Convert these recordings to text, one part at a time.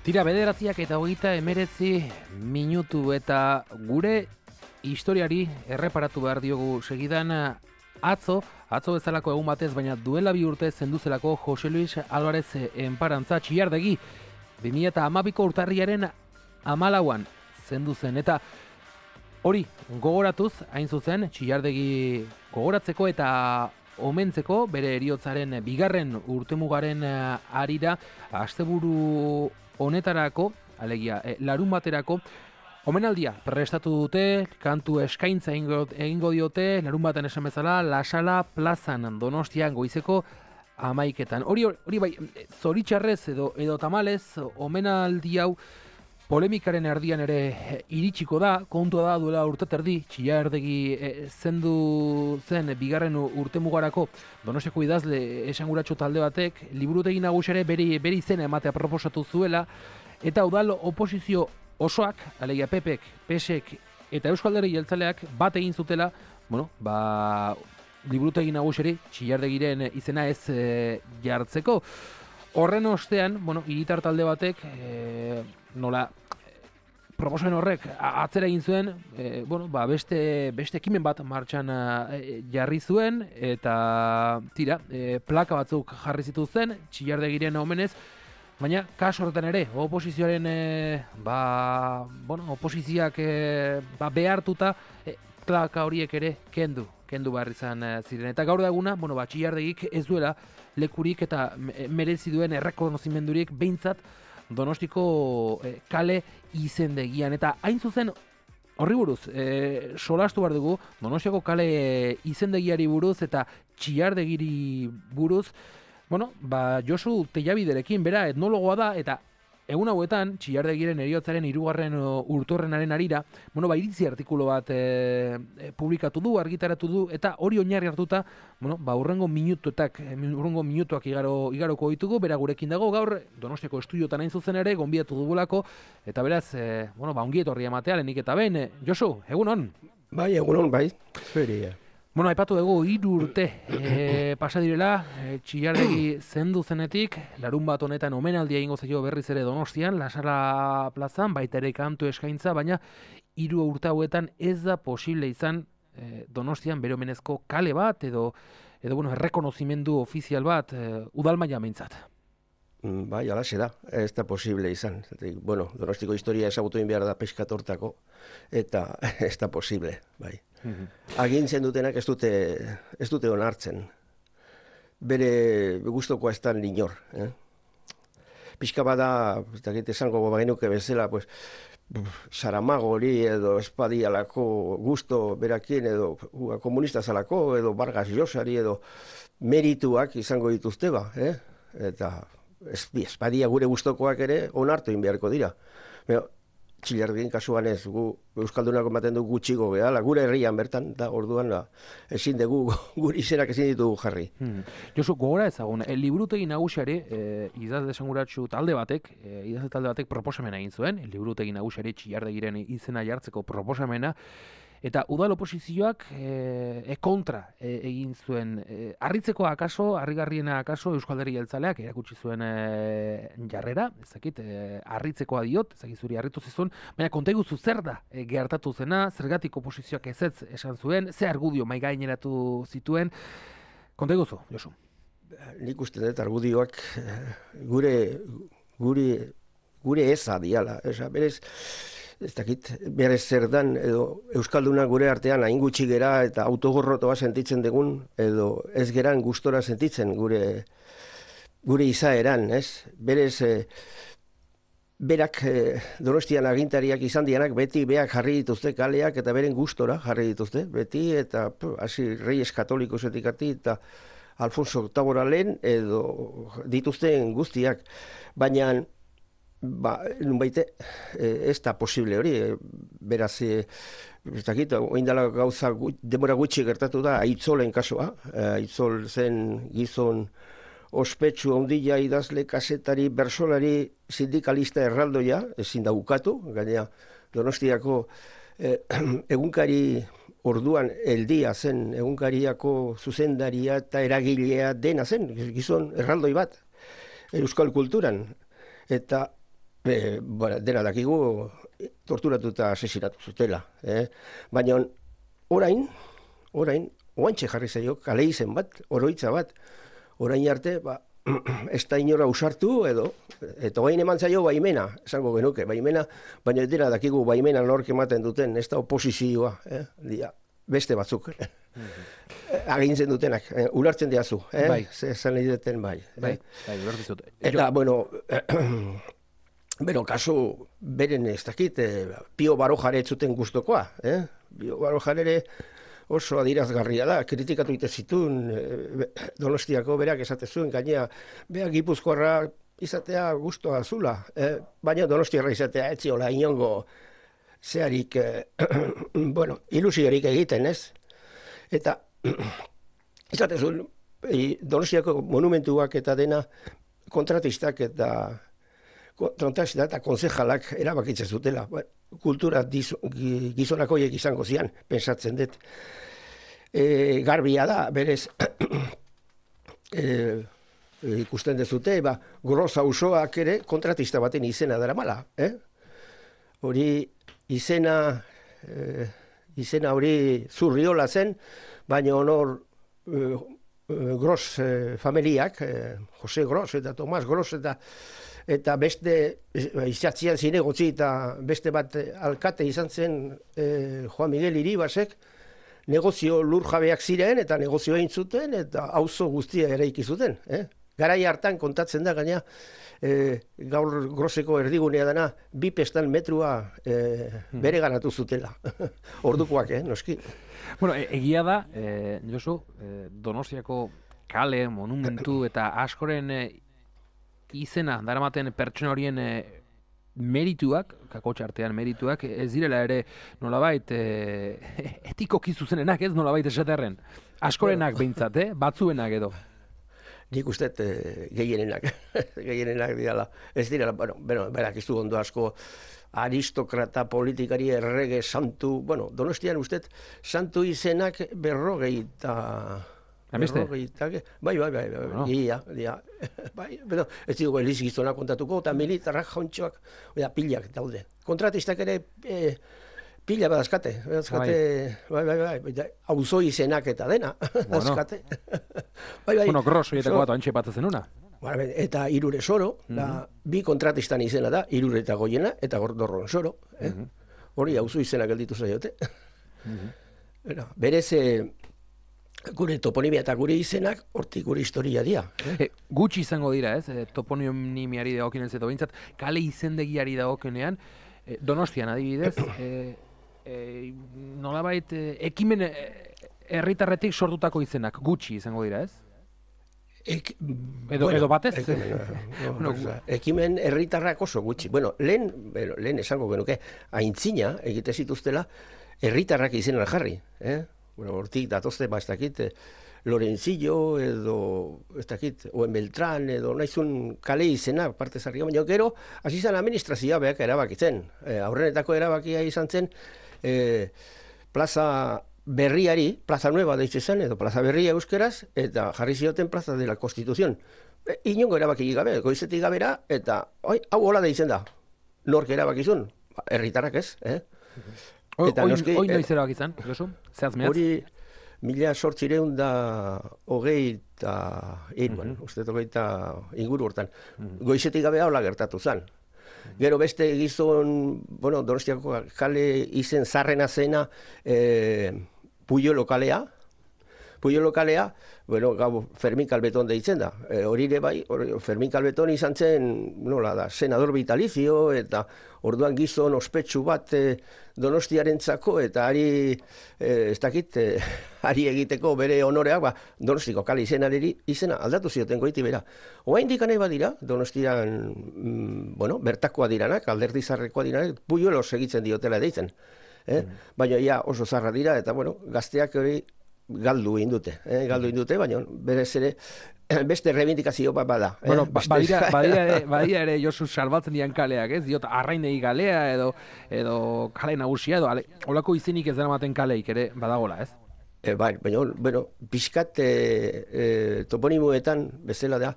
Tira 9:29 minutu eta gure historiari erreparatu behar diogu segidan atzo bezalako egun batez, baina duela 2 urte zenduzelako Jose Luis Álvarez enparantza Txillardegi 2012ko urtarriaren 14an zendu zen, eta hori gogoratuz hain zuzen Txillardegi gogoratzeko eta omentzeko bere heriotzaren 2. urtemugaren harira asteburu honetarako, alegia, larun baterako, omenaldia prestatu dute, kantu eskaintza egingo diote, larun baten esan bezala, La Sala plazan Donostian goizeko 11etan. Hori bai, zoritxarrez edo tamalez, omenaldi hau polemikaren erdian ere iritsiko da, kontua da duela urte terdi, Txillardegi zendu zen 2. urtemugarako Donostiako idazle esanguratsu talde batek, liburutegi nagusiare bere izena ematea proposatu zuela, eta udal oposizio osoak, alegia PPek, PSek eta Eusko Alderdi Jeltzaleak bat egin zutela, liburutegi nagusiari Txillardegiren izena ez jartzeko. Horren ostean, hiritar talde batek, nola proposamen horrek atzera egin zuen, beste ekimen bat martxan jarri zuen, eta plaka batzuk jarri zituzten Txillardegiren omenez, baina kasu horretan ere, oposizioaren oposizioak behartuta plaka horiek ere kendu behar izan ziren. Eta gaur da eguna, Txillardegik ez duela lekurik eta merezi duen errekonozimendurik behintzat Donostiko kale izendegian. Eta hain zuzen horri buruz, solastu behar dugu, Donostiako kale izendegiari buruz eta Txillardegiri buruz, Josu Tellabiderekin, bera etnologoa da, eta egun hauetan, Txillardegiren heriotzaren 2. urteurrenaren harira, iritzi artikulu bat publikatu du, argitaratu du, eta hori oinarri hartuta, urrengo minutuak igaroko ditugu, bera gurekin dago, gaur Donostiako estudiotan hain zuzen ere, gonbidatu dugulako, eta beraz, ongi etorri ematea, lehenik eta behin. Josu, egunon? Bai, egunon, bai. Aipatu dugu 3 urte pasa direla, Txillardegi zendu zenetik, larun bat honetan omenaldia egingo zaio berriz ere Donostian, La Sala plazan, baita ere kantu eskaintza, baina 3 urte hauetan ez da posible izan Donostian bere omenezko kale bat, edo errekonozimendu ofizial bat, udal maila behintzat. Bai, alaxe da, ez da posible izan. Donostiko historia ezagutu egin behar da peskatortako, eta ez da posible, bai. Agintzen dutenak ez dute onartzen. Bere gustokoa ez da inor. Pixka bada, esango bagenuke bezala, Saramago hori edo espadialako gusto berakin edo komunista zalako edo Vargas Llosari edo merituak izango dituzte ba. Eta espadia gure gustokoak ere onartu egin beharko dira. Txillardegin kasuan ez, gu Euskaldunak ematen du gutxigo gehala, gure herrian bertan, da orduan ezin dugu, gure izenak ezin ditugu jarri. Josu, gogora ezagun, liburutegi nagusiari, idazle esanguratsu talde batek proposamena egin zuen, liburutegi nagusiari Txillardegiren izena jartzeko proposamena, eta udal oposizioak kontra egin zuen. Harritzekoa akaso, harrigarriena akaso, Eusko Alderdi Jeltzaleak erakutsi zuen jarrera, ezakit, harritzekoa diot, ezakit zuri harritu zizun, baina konta iguzu zer da gertatu zena, zergatik oposizioak ezetz esan zuen, ze argudio mai gaineratu zituen, konta iguzu, Josu. Nik uste dut argudioak gure eza diala, berez, ez dakit, berez zer dan, edo Euskalduna gure artean hain gutxi gera eta autogorrotoa sentitzen dugun, edo ez geran gustora sentitzen gure izaeran, ez? Berez, berak Donostian agintariak izan dianak, beti beak jarri dituzte kaleak eta beren gustora jarri dituzte, beti, eta hasi Reyes Katolikosetik ati, eta Alfonso VIII lehen, edo dituzten guztiak, baina nunbaite, ez da posible hori, beraz, ez dakit, oindala gauza demora gutxi gertatu da, Aitzolen kasua, Aitzol zen gizon ospetsu handia idazle, kasetari, bersolari, sindikalista erraldoia, ezin da ukatu, gainera Donostiako egunkari orduan eldia zen, egunkariako zuzendaria eta eragilea dena zen, gizon erraldoi bat, euskal kulturan, eta Bueno, dena dakigu torturatu eta asesinatu zutela. Baina orain, oantxe jarri zaio, kale izen bat, oroitza bat, orain arte, ez da inora usartu eta gain eman zaio baimena, esango genuke, baimena, baina dena dakigu baimena nork ematen duten, ez da oposizioa, beste batzuk. Agintzen dutenak, ulertzen diazu, zan nahi duten bai. Eta, bueno, kasu, beren ez dakit, Pio Barojare zuten gustokoa, Pio Barojare oso adirazgarria da, kritikatu ite zituen Donostiako berak esatezuen, gainea, beak Gipuzkoarra izatea gustoa zula, baina Donostiarra izatea etziola inongo zeharik, ilusiorik egiten, ez? Eta, esatezuen, Donostiako monumentuak eta dena kontratistak eta konsejalak erabakitzen zutela. Kultura gizonakoiek izango zian, pensatzen dut. Garbia da, berez, ikusten dezute, Gros auzoak ere kontratista baten izena daramala. Hori izena hori Zurriola zen, baina honor Gros familiak, Jose Gros eta Tomas Gros eta beste izatzian zinegotzi eta beste bat alkate izan zen Juan Miguel Iribasek, negozio lurjabeak ziren eta negozioa egin zuten eta auzo guztia eraiki zuten. Garai hartan kontatzen da gaina gaur Groseko erdigunea dana 2 pestan metrua bere ganatu zutela. Ordukoak, noski. Bueno, egia da, Josu, Donostiako kale, monumentu eta askoren izena daramaten pertsona horien merituak, kakotxa artean merituak, ez direla ere nolabait etikoki zuzenenak, ez nolabait esaterren. Askorenak behintzat, batzuenak edo. Nik uste gehienenak dirala. Ez direla, berak ez du ondo asko aristokrata, politikari, errege, santu, Donostian uste santu izenak 50. Bai, ez dugu Eliz Gizona kontatuko, eta militarrak jauntxoak, pilak daude. Kontratistak ere pila badazkate, auzo izenak eta dena, badazkate. Gros horietako bat oantxe bat zenuna. Eta Irure Soro, 2 kontratistan izena da, Irure eta Goiena, eta Gordorron Soro. Hori auzo izenak gelditu zaiote. Berez, gure toponimia eta gure izenak, hortik gure historia dira. Gutxi izango dira, ez? Toponimiari dagokionez edo behintzat, kale izendegiari dagokenean, Donostian adibidez, nolabait, ekimen herritarretik sortutako izenak, gutxi izango dira, ez? Edo batez? Ekimen herritarrak oso gutxi. Lehen esango genuke, aintzina egite zituztela, herritarrak izenan jarri, hortik datozte, ez dakit, Lorenzillo edo, ez dakit, Oen Beltran edo nahizun kale izena, parte zarri, baina gero, hasi zen administrazioa behak erabakitzen. Aurrenetako erabakia izan zen, plaza berriari, plaza nueva deitze zen, edo plaza berria euskeraz, eta jarri zioten plaza de la Constitución. Inongo erabaki gabe, goizetik gabera, eta hau hola deitzen da. Nork erabakizun? Herritarrak ez, Hoi noiz erabak izan, Josu? Zehaz mehatz? Hori 1820 uste togeita inguru hortan. Goizetik gabe hola gertatu zen. Gero beste gizon, Donostiako kale izen zarrena zena Puyo lokalea, gau Fermin Calbeton deitzen da. Hori ere bai, Fermin Calbeton izan zen, senador vitalizio, eta orduan gizon ospetsu bat Donostiarentzako, eta ari egiteko bere honoreak, Donostiko kale izena aldatu zioten goiti bera. Oraindik nahi badira, Donostian, bertakoa diranak, alderdi zarrekoa diranak, Puyolos egitzen diotela deitzen. Baina oso zarra dira, eta gazteak hori galdu indute, baina berez ere beste reivindikazio bat bada. Badira ere Josu salbatzen dian kaleak, ez? Diot, Arrainegi kalea edo kale nagusia edo holako izenik ez daramaten kaleik ere badagola, ez? Baina, pixkat toponimoetan bezala da,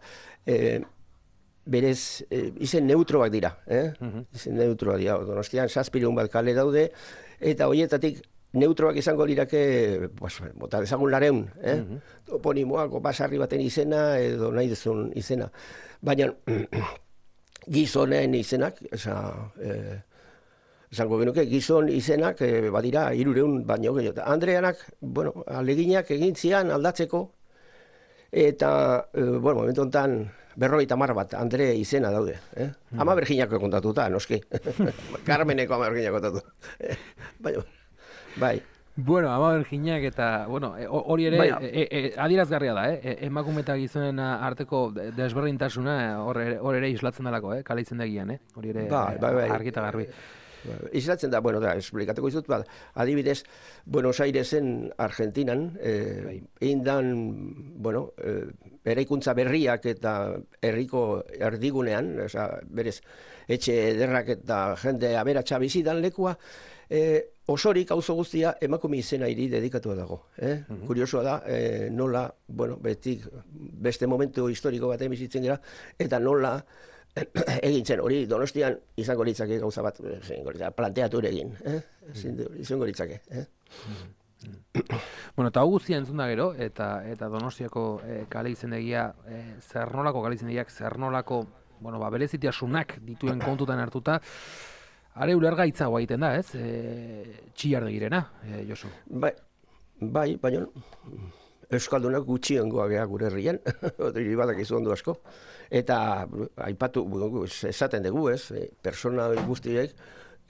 berez izen neutroak dira, izen neutroak dira, Donostian 700 bat kale daude, eta horietatik neutroak izango lirake, bota dezagun 200, toponimoak, basarri baten izena, edo nahi dezun izena. Baina, gizonen izenak, esango genuke, gizon izenak badira 300 baino gehiago. Andreanak, aleginak egin zian aldatzeko, eta, momentu honetan, 50 bat, Andre izena daude. Ama Berginako kontatuta, noski. Carmeneko Ama Berginak kontatu. Bai. Bueno, Ama Berginak eta, hori ere, adierazgarria da, emakume eta gizonen arteko desberdintasuna hor ere islatzen dalako, kale izendegian, hori ere argi eta garbi. Islatzen da, esplikatuko izut, adibidez, Buenos Airesen, Argentinan, egin dan, eraikuntza berriak eta herriko erdigunean, berez, etxe ederrak eta jende aberatsa bizidan lekua, osorik auzo guztia emakume izena iri dedikatua dago. Kuriosoa da, nola, betik beste momentu historiko batean bizitzen dira, eta nola egintzen hori Donostian izango litzake gauza bat, planteatu egin, izango litzake. Eta hau guztia entzun da gero, eta Donostiako kale izendegia, zer nolako kale izendegiak, zer nolako, berezitasunak dituen kontutan hartuta, are ulergaitza egiten da, ez? Txillardegirena, Josu. Bai, baina Euskaldunak gutxiengoa geha gure herrian, hori badak izu ondo asko. Eta, aipatu, esaten dugu, persona guztiek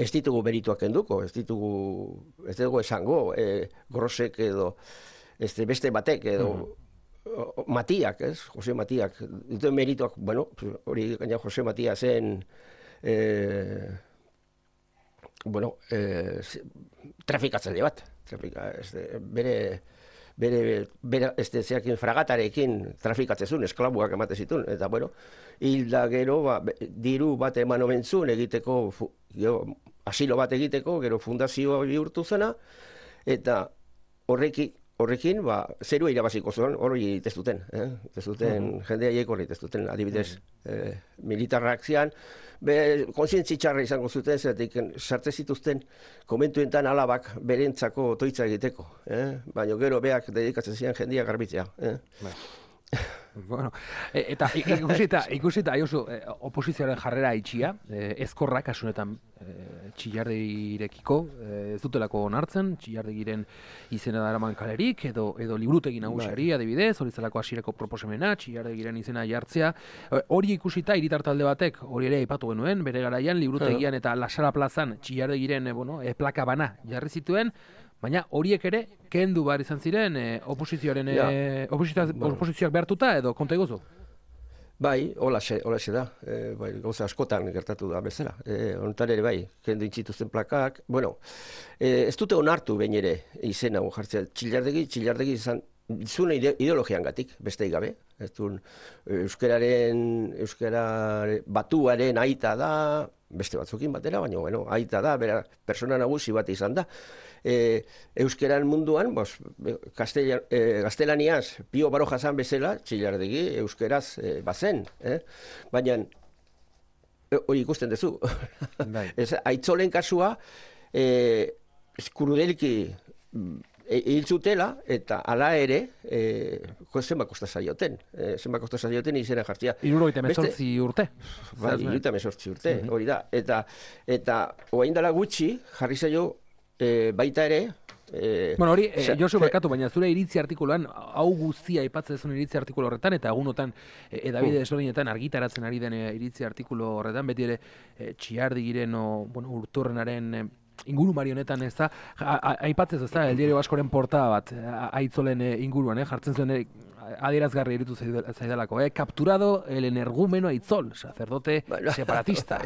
ez ditugu berituak kenduko, ez dugu esango, Grosek edo beste batek edo Matiak, Jose Matiak, dituen merituak, hori gaina Jose Matiasen trafikatzaile bat, bere zeakin fragatarekin trafikatzezun, esklabuak emate zitun, eta hilda gero diru bat eman omentzun egiteko, asilo bat egiteko, gero fundazioa bihurtu zena, eta horrekin, zerua irabaziko zuen, hori testuten, jende haiek hori testuten, adibidez, militarrak zian, kontzientzi txarra izango zuten, zeratik sartze zituzten komentuentan alabak berentzako toitza egiteko, baina gero beak dedikatzen zian jendia garbitzea. Eta ikusita, Josu, oposizioaren jarrera itxia, ezkorrak asunetan Txillardegirekiko, ez dutelako onartzen, Txillardegiren izena daraman kalerik, edo liburutegi nagusiari, adibidez, hori zelako hasierako proposamena, Txillardegiren izena jartzea. Hori ikusita, hiritar talde batek, hori ere aipatu genuen, bere garaian, liburutegian eta Lasara plazan Txillardegiren plaka bana jarri zituen, baina horiek ere, kendu behar izan ziren oposizioak behartuta edo konta egozu? Bai, holaxe da, gauza askotan gertatu da bezala. Honetan ere bai, kendu intzituzten plakak. Ez dute onartu behin ere izena jartzea. Txillardegi izan zuen ideologian gatik, besteik gabe. Euskara batuaren aita da, beste batzukin batera, baina aita da, bera persona nagusi bat izan da. Euskeran munduan, gaztelaniaz, Pio Baroja zan bezala, Txillardegi euskeraz bazen. Baina, hori ikusten duzu. Aitzolen kasua, Krudelki hil zutela, eta hala ere, zenbat kosta zaioten izena jartzea. 78 urte. Bai, 78 urte, hori da. Eta oain dela gutxi, jarri zaio, baita ere... Hori, Josu barkatu, baina zure iritzi artikuluan, hau guztia aipatzen zuen iritzi artikulu horretan, eta egunotan edabide desberdinetan argitaratzen ari den iritzi artikulu horretan, beti ere Txillardegiren urturrenaren inguru marionetan ez da, aipatzez ez da, El Diario Vascoren portada bat, aitzolen inguruan, jartzen zuen adierazgarri eritu zaidalako, capturado el energúmeno Aitzol, sacerdote separatista.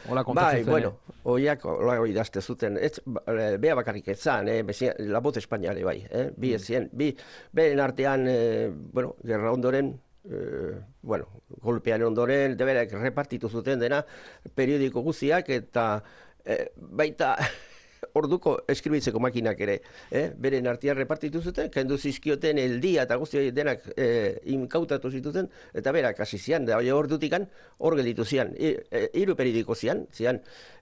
Hola kontatzen zuen. Oiak, hola idazte zuten, bea bakarrik etzan, la voz españale bai, bi ezien, beren artean, gerra ondoren, golpean ondoren, deberak repartitu zuten dena, periodiko guziak, eta baita orduko eskribitzeko makinak ere, beren artean repartitu zuten, kendu zizkioten eldia eta guzti denak inkautatu zituzten, eta berak hasi zian, da ordutikan hor gelditu zian, hiru periodiko zian,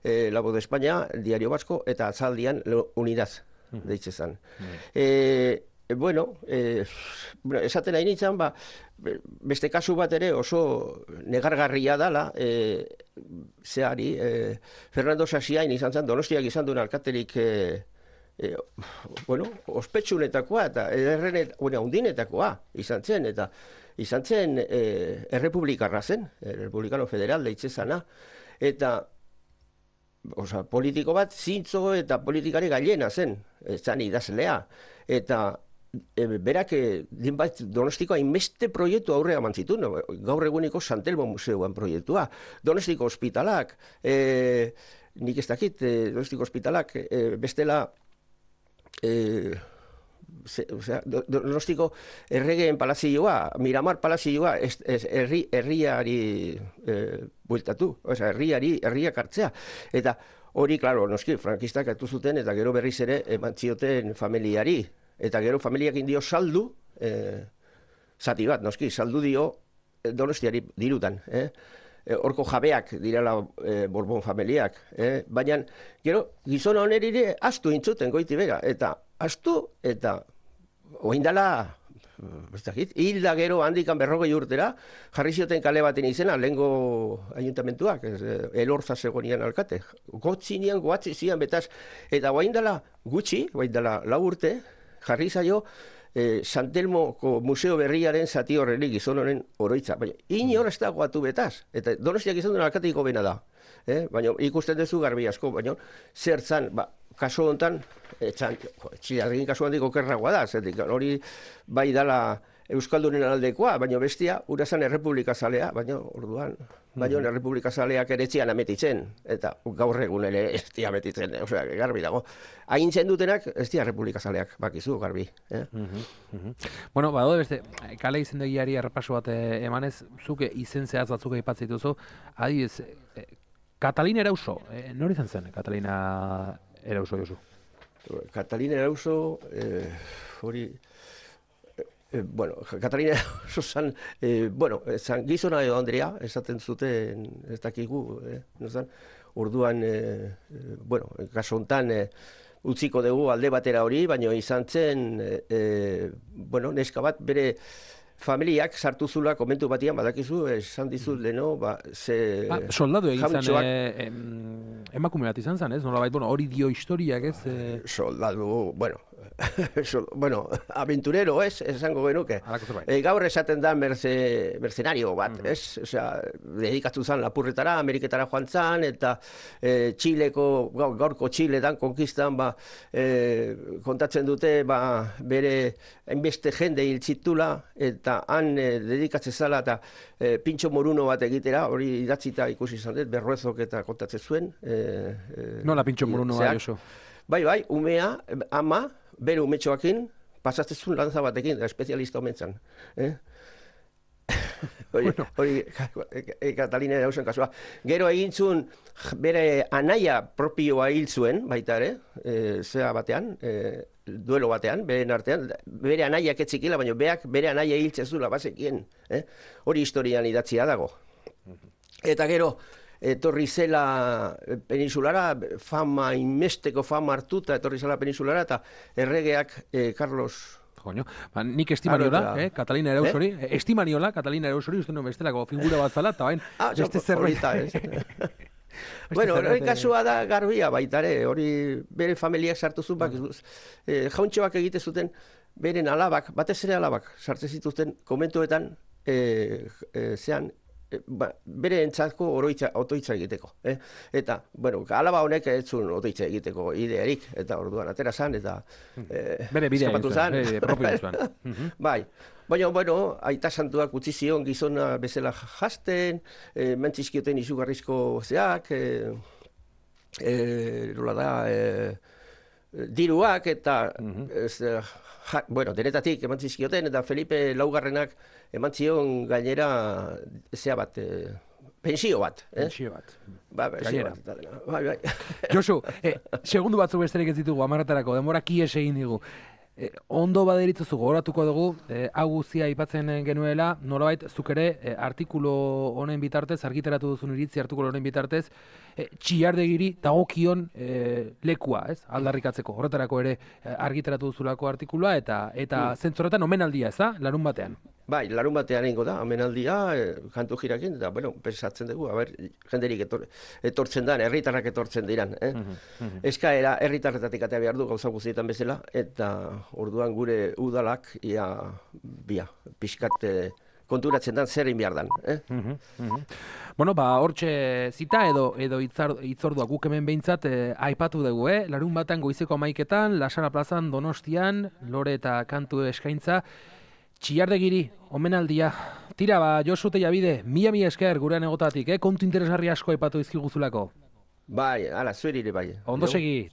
La Voz de España, Diario Vasco, eta Atzaldian Unidad, deitze zan. Bueno, esaten nahi nintzen, beste kasu bat ere oso negargarria dala, zehari, Fernando Sasiain izan zen, Donostiak izan duen alkaterik, ospetsunetakoa eta undinetakoa izan zen, eta izan zen errepublikarra zen, Republicano Federal deitze zana, eta politiko bat zintzo eta politikari gailena zen, zan idazlea, eta berak Donostiko hainbeste proiektu aurrea eman zituen, gaur eguniko Santelmo Museoan proiektua, Donostiko ospitalak, nik ez dakit, Donostiko ospitalak, bestela, Donostiko erregeen palazioa, Miramar palazioa, herriari bueltatu, herriak hartzea, eta hori, klaro, noski, frankistak hartu zuten, eta gero berriz ere eman zioten familiari, eta gero familiak indio saldu, zati bat, noski, saldu dio Donostiari dirutan, horko jabeak direla Borbon familiak, baina gero gizona honerire astu intzuten goiti bera, eta astu, eta oindala, hilda gero handikan 40 urtera, jarri zioten kale baten izena, lehengo ayuntamentuak, Elorza zegonian alkate, gotzinean, goatzi zian, betaz, eta oindala gutxi, oindala 4 urte, jarri zaio Santelmoko museo berriaren zati horrenik gizon honen oroitza. Baina, inor ez da goatu betaz. Eta Donostiak izan duen alkateiko bena da. Baina ikusten duzu garbi asko, baina zertzan, kaso honetan, txilargin kasu handiko kerragoa da, zertik, hori bai dala Euskaldunen aldekoa, baina bestia, urazan errepublika zalea, baina orduan, baina errepublika zaleak ere etzian ametitzen, eta gaur egun ere ez dia ametitzen, osea, garbi dago. Haintzen dutenak, ez dia errepublika zaleak, bakizu, garbi. Bueno, badaude beste, kale izendegiari errepaso bat emanez, zuke izen zehaz batzuk aipatzen dituzu, adibidez, Katalina Erauso, nor izan zen Katalina Erauso, Josu? Katalina Erauso, hori... Katalina Erauso zan, zan gizona edo Andrea, esaten zuten, ez dakigu, orduan, kaso hontan, utziko dugu alde batera hori, baina izan zen, neska bat bere familiak sartu zula komentu batian, badakizu, esan dizut leno, soldadu egin zen, emakume bat izan zen, ez? Nolabait, hori dio historiak, ez? Soldadu, aventurero, ez? Esango genuke. Gaur esaten da mercenario bat, ez? Osea, dedikatu zen lapurretara, Ameriketara joan zen, eta gaurko Txiletan, konkistan, kontatzen dute, bere hainbeste jende hiltzitula, eta han dedikatzen zala, eta pintxo moruno bat egitera, hori idatzita ikusi izan dut, Berruezok eta kontatzen zuen. Nola pintxo moruno bai, oso? Bai, umea, ama, bere umetxoakin, pasatzen zuen lanza batekin, espezialista omentzan. Hori Katalina Erausen kasua. Gero egintzun bere anaia propioa hil zuen, baita ere, zea batean, duelo batean, beren artean, bere anaiak etzikila, baina bere anaia hiltzen zula, bazekien. Hori historian idatzia dago. Eta gero, etorri zela peninsulara, inmesteko fama hartuta, etorri zela peninsulara, eta erregeak Carlos... Joño, nik estimaniola, Katalina Erausori, estimaniola, Katalina Erausori, uste no bestelako figura bat zala, eta bain, beste zerbait. Bueno, hori kasua da garbia baitare, hori bere familiak sartu zuen, jauntxoak egite zuten, beren alabak, batez ere alabak, sartzen zituzten komentuetan, zean, bere entzatko otoitza egiteko. Eta, alaba honek ez zuen otoitza egiteko idearik, eta orduan atera zan, eta bere bidea zuen, bere propio zuen. Bai, baina, aita santuak utzi zion gizona bezala jasten, mentzizkioten izugarrizko zeak, nola da, diruak, eta denetatik eman zizkioten, eta Felipe Laugarrenak eman zion gainera zea bat, Pensio bat, Pensio bat. Pensio bat eta dena. Bai. Josu, segundu batzuk besterik ez ditugu amaretarako, denbora kies egin digu. Ondo baderitzuzu gogoratuko dugu, hau guztia aipatzen genuela, nolabait zuk ere artikulu honen bitartez, argitaratu duzun iritzi artikulu honen bitartez, Txillardegiri dagokion lekua, ez? Aldarrikatzeko. Horretarako ere argitaratu duzulako artikulua eta zentzorretan omenaldia, ez da? Larun batean. Bai, larun batean egingo da, omenaldia, kantu jirakin, eta, pensatzen dugu, jenderik etortzen da, herritarrak etortzen diran. Eskaera herritarretatik atea behar du gauza guztietan bezala, eta orduan gure udalak, pixkat konturatzen dan zer egin behar dan. Bueno, hortxe zita edo itzordua guk hemen behintzat aipatu dugu, larun batean goizeko 11etan, Lasara plazan, Donostian, lore eta kantu eskaintza, Txillardegiri, omenaldia. Tira, Josu Tellabide, mila esker gurean egotatik, kontu interesgarri asko aipatu izkiguzulako. Bai, zueri ere bai. Ondo segi.